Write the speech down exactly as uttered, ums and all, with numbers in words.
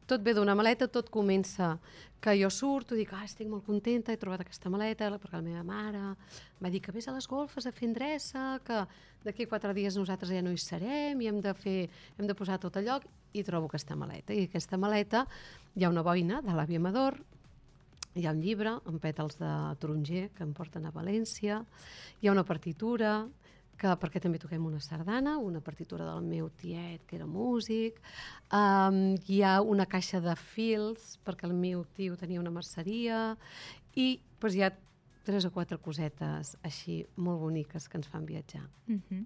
tot ve d'una maleta, tot comença que jo surto i dic, ah, estic molt contenta, he trobat aquesta maleta, perquè la meva mare va dir que vés a les golfes a fer endreça, que d'aquí quatre dies nosaltres ja no hi serem i hem de, fer, hem de posar tot a lloc, i trobo aquesta maleta. I aquesta maleta hi ha una boina de l'àvia Amador, hi ha un llibre amb pètals de taronger que em porten a València, hi ha una partitura, que, perquè també toquem una sardana, una partitura del meu tiet, que era músic, um, hi ha una caixa de fils, perquè el meu tio tenia una merceria, i doncs, hi ha tres o quatre cosetes així molt boniques que ens fan viatjar. Uh-huh.